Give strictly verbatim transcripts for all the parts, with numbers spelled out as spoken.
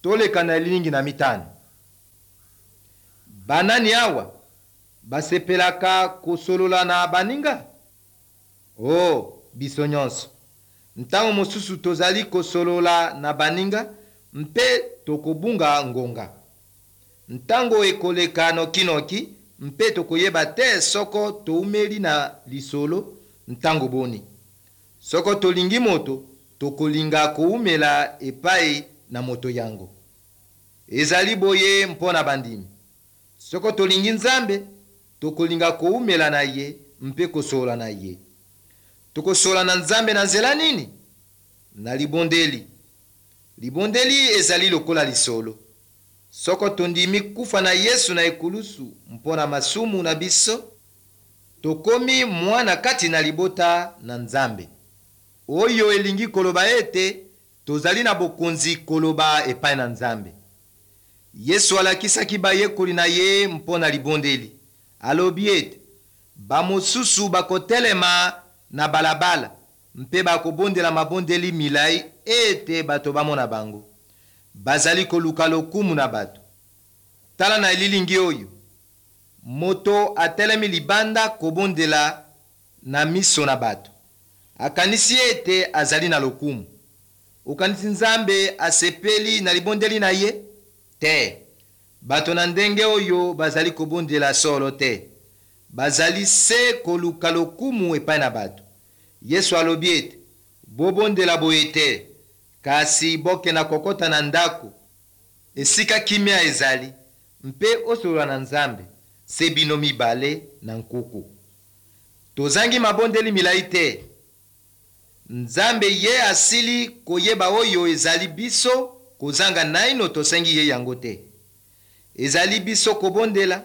Toleka na elilingi na mitano. Banani awa basepelaka kosolola na baninga? O, biso nyonso. Ntango mosusu tozali kosolola na baninga mpe tokobunga ngonga. Ntango ekoleka nokinoki mpe tokoyeba te soko toumeli na lisolo ntango boni. Soko tolingi moto, tokolinga koumela epai na moto yango. Ezali boye mpo na bandimi. Soko tolingi Nzambe, tokolinga koumela na ye mpe kosolola na ye. Tokosolola na Nzambe na nzela nini? Na libondeli. Libondeli ezali lokola lisolo. Soko tondimi kufa na Yesu na ekulusu mpo na masumu na biso, tokomi mwana kati na libota na Nzambe. Oyo elingi koloba ete tozali na bokonzi koloba epai na Nzambe. Yesu alakisaki bayekoli na ye mpo na libondeli. Alobi ete bamosusu bakotelema na balabala mpe bakobondela mabondeli milai ete bato bamona bango. Bazali koluka lokumu na bato. Tala na elilingi oyo. Moto atelemi libanda kobondela na miso na bato. Akanisi ete azali na lokumu. Okanisi Nzambe asepeli na libondeli na ye? Te. Bato na ndenge oyo bazali kobondela solo te. Bazali se koluka lokumu epai na bato. Yesu alobi ete bobondela boye te, kasi bokenda kokota na ndako esika kimia ezali mpe osolola na Nzambe se bino mibale na nkuku. Tozangi mabondeli milai te. Nzambe ye asili koyeba oyo ezali biso kozanga naino tosengi ye yango te. Ezali biso kobondela,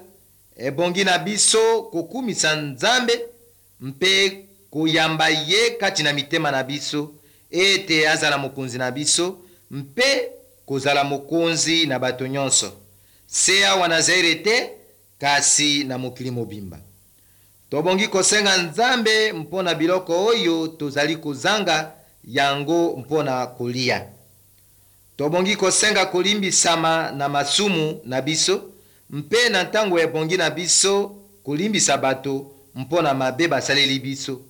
ebongi na biso kokumisa Nzambe mpe koyamba ye kati na mitema na biso ete azala mokonzi na biso mpe kozala mokonzi na bato nyonso, se awa na Zaire te, kasi na mokili mobimba. Tobongi kosenga Nzambe mpo na biloko oyo tozali kozanga yango mpo na kolia. Tobongi kosenga kolimbisama na masumu na biso mpe na ntango ebongi na biso kolimbisa bato mpo na mabe basaleli biso.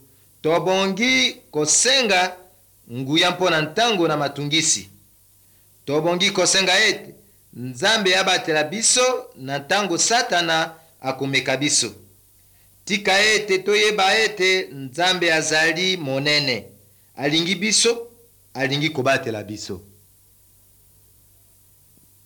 Tobongi kosenga nguya mpo na ntango na matungisi. Tobongi kosenga ete Nzambe abatela biso na ntango Satana akomeka biso. Tika ete toyeba ete Nzambe azali monene, alingi biso, alingi kobatela biso.